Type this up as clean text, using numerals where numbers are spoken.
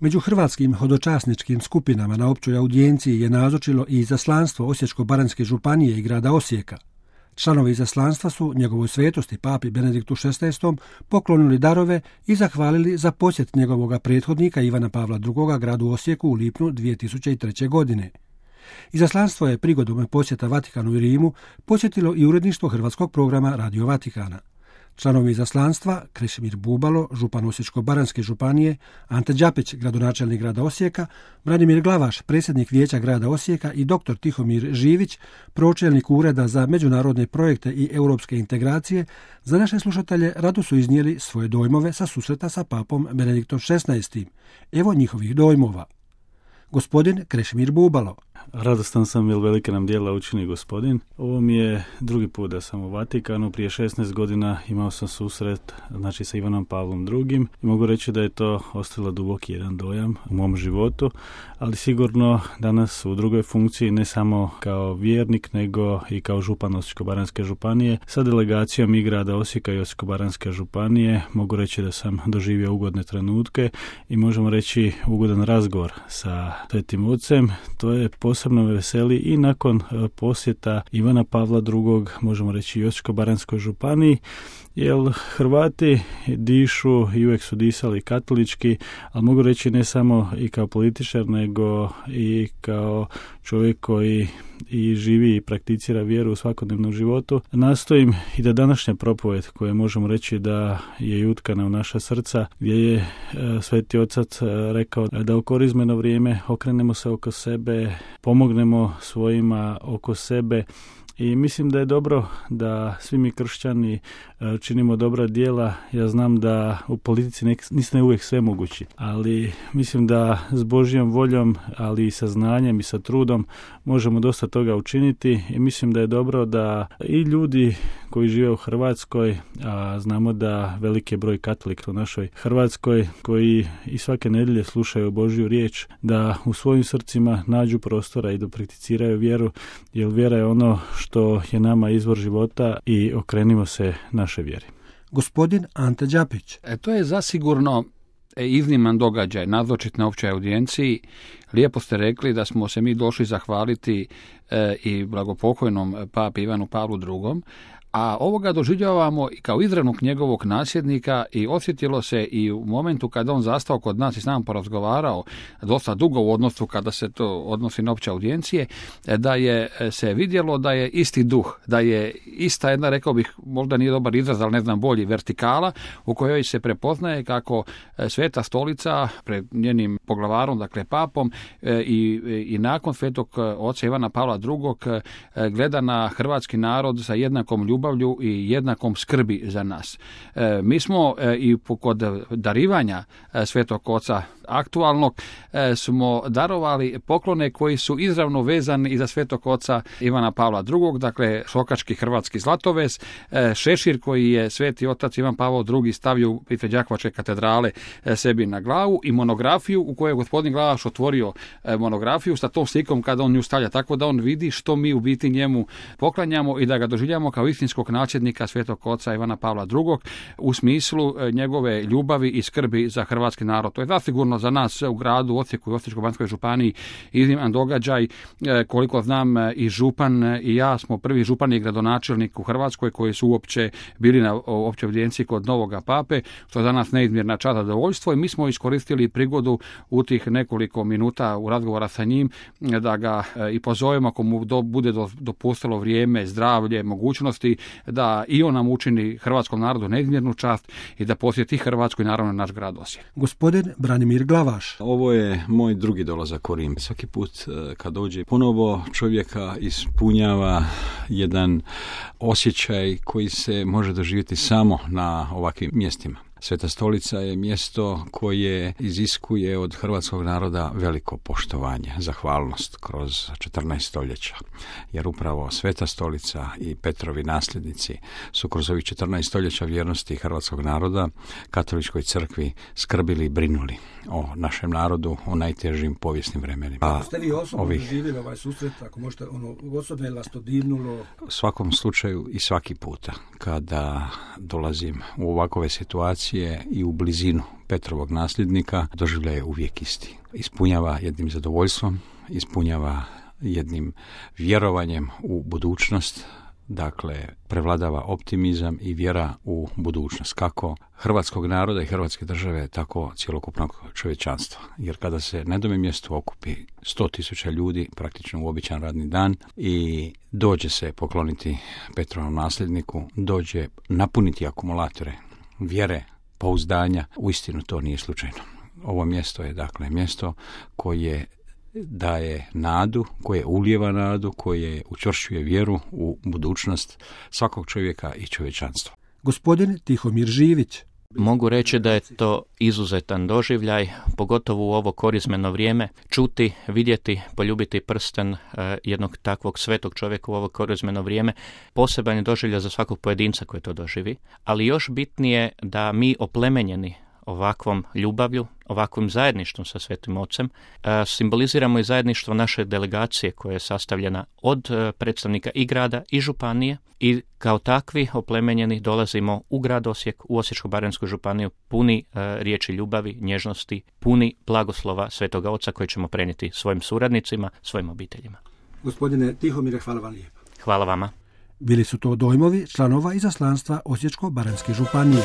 Među hrvatskim hodočasničkim skupinama na općoj audijenciji je nazočilo i izaslanstvo Osječko-baranjske županije i grada Osijeka. Članovi izaslanstva su njegovoj svetosti papi Benediktu XVI poklonili darove i zahvalili za posjet njegovog prethodnika Ivana Pavla II gradu Osijeku u lipnju 2003. godine. Izaslanstvo je prigodom posjeta Vatikanu i Rimu posjetilo i uredništvo hrvatskog programa Radio Vatikana. Članovi izaslanstva Krešimir Bubalo, župan Osječko-baranjske županije, Ante Đapić, gradonačelnik grada Osijeka, Branimir Glavaš, predsjednik vijeća grada Osijeka i dr. Tihomir Živić, pročelnik Ureda za međunarodne projekte i europske integracije, za naše slušatelje rado su iznijeli svoje dojmove sa susreta sa papom Benediktom XVI. Evo njihovih dojmova. Gospodin Krešimir Bubalo. Radostan sam jer velike nam djela učini Gospodin. Ovo mi je drugi put da sam u Vatikanu. Prije 16 godina imao sam susret sa Ivanom Pavlom II. I mogu reći da je to ostavilo duboki jedan dojam u mom životu, ali sigurno danas u drugoj funkciji, ne samo kao vjernik, nego i kao župan Osječko-baranjske županije. Sa delegacijom i grada Osijeka i Osječko-baranjske županije mogu reći da sam doživio ugodne trenutke i možemo reći ugodan razgovor sa Svetim Ocem. To je posebno me veseli i nakon posjeta Ivana Pavla II, možemo reći i Osječko-baranjskoj županiji, jer Hrvati dišu i uvijek su disali katolički, ali mogu reći ne samo i kao političar, nego i kao čovjek koji i živi i prakticira vjeru u svakodnevnom životu. Nastojim i da današnja propovjed, koja možemo reći da je utkana u naša srca, gdje je Sveti Otac rekao da u korizmeno vrijeme okrenemo se oko sebe, pomognemo svojima oko sebe. I mislim da je dobro da svi mi kršćani činimo dobra djela. Ja znam da u politici nisam uvijek sve mogući, ali mislim da s Božjom voljom, ali i sa znanjem i sa trudom možemo dosta toga učiniti i mislim da je dobro da i ljudi koji žive u Hrvatskoj, a znamo da veliki je broj katolika u našoj Hrvatskoj koji i svake nedjelje slušaju Božju riječ, da u svojim srcima nađu prostora i da prakticiraju vjeru, jer vjera je ono što je nama izvor života i okrenimo se naše vjeri. Gospodin Ante Đapić. To je zasigurno izniman događaj, nazočiti na općoj audijenciji. Lijepo ste rekli da smo se mi došli zahvaliti i blagopokojnom papi Ivanu Pavlu II, a ovoga doživljavamo i kao izravnog njegovog nasljednika i osjetilo se i u momentu kada on zastao kod nas i s nama porazgovarao dosta dugo u odnosu kada se to odnosi na opće audijencije, da je se vidjelo da je isti duh, da je ista jedna, rekao bih, možda nije dobar izraz, ali ne znam bolji, vertikala u kojoj se prepoznaje kako Sveta Stolica pred njenim poglavarom, dakle papom i nakon Svetog oca Ivana Pavla II gleda na hrvatski narod sa jednakom ljubavlju i jednakom skrbi za nas. Mi smo i kod darivanja Svetog Oca aktualnog smo darovali poklone koji su izravno vezani i za Svetog Oca Ivana Pavla II, dakle šokački hrvatski zlatovez, šešir koji je Sveti Otac Ivan Pavao II stavio ispred Đakovačke katedrale sebi na glavu i monografiju u kojoj je gospodin Glavaš otvorio monografiju sa tom slikom kada on nju stavlja, tako da on vidi što mi u biti njemu poklanjamo i da ga doživljamo kao istinskog nasljednika Svetog Oca Ivana Pavla II u smislu njegove ljubavi i skrbi za hrvatski narod. To je zasigurno za nas u gradu Osijeku i Osječko-baranjskoj županiji izniman događaj. Koliko znam, i župan i ja smo prvi župan i gradonačelnik u Hrvatskoj koji su uopće bili na općoj evidenciji kod novoga pape, što je za nas neizmjerna čast i zadovoljstvo i mi smo iskoristili prigodu u tih nekoliko minuta u razgovora sa njim da ga i pozovemo ako mu bude dopustilo vrijeme, zdravlje, mogućnosti, da i on nam učini hrvatskom narodu neizmjernu čast i da posjeti Hrvatsku i naravno naš grad Osijek. Gospodin Branimir Glavaš. Ovo je moj drugi dolazak u Rim. Svaki put kad dođe ponovo čovjeka ispunjava jedan osjećaj koji se može doživjeti samo na ovakvim mjestima. Sveta Stolica je mjesto koje iziskuje od hrvatskog naroda veliko poštovanje, zahvalnost kroz 14 stoljeća. Jer upravo Sveta Stolica i Petrovi nasljednici su kroz ovih 14 stoljeća vjernosti hrvatskog naroda katoličkoj crkvi skrbili i brinuli o našem narodu u najtežim povijesnim vremenima. Ako ste vi osobno doživjeli ovaj susret, ako možete, osobno je vas to dirnulo? U svakom slučaju i svaki puta kada dolazim u ovakove situacije, pozicije i u blizinu Petrovog nasljednika, doživljaj je uvijek isti. Ispunjava jednim zadovoljstvom, ispunjava jednim vjerovanjem u budućnost, dakle prevladava optimizam i vjera u budućnost, kako hrvatskog naroda i hrvatske države, tako cjelokupnog čovječanstva. Jer kada se na jednom mjestu okupi 100.000 ljudi, praktično u običan radni dan, i dođe se pokloniti Petrovom nasljedniku, dođe napuniti akumulatore vjere, pouzdanja, uistinu to nije slučajno. Ovo mjesto je dakle mjesto koje daje nadu, koje ulijeva nadu, koje učvršćuje vjeru u budućnost svakog čovjeka i čovječanstva. Gospodin Tihomir Živić. Mogu reći da je to izuzetan doživljaj, pogotovo u ovo korizmeno vrijeme, čuti, vidjeti, poljubiti prsten jednog takvog svetog čovjeka u ovo korizmeno vrijeme, poseban je doživljaj za svakog pojedinca koji to doživi, ali još bitnije da mi oplemenjeni ovakvom ljubavlju, ovakvim zajedništvom sa Svetim Ocem, simboliziramo i zajedništvo naše delegacije koja je sastavljena od predstavnika i grada i županije i kao takvi oplemenjeni dolazimo u grad Osijek, u Osječko-baranjsku županiju puni riječi ljubavi, nježnosti, puni blagoslova Svetoga Oca koji ćemo prenijeti svojim suradnicima, svojim obiteljima. Gospodine Tihomire, hvala vam lijepo. Hvala vama. Bili su to dojmovi članova izaslanstva Osječko-baranjske županije.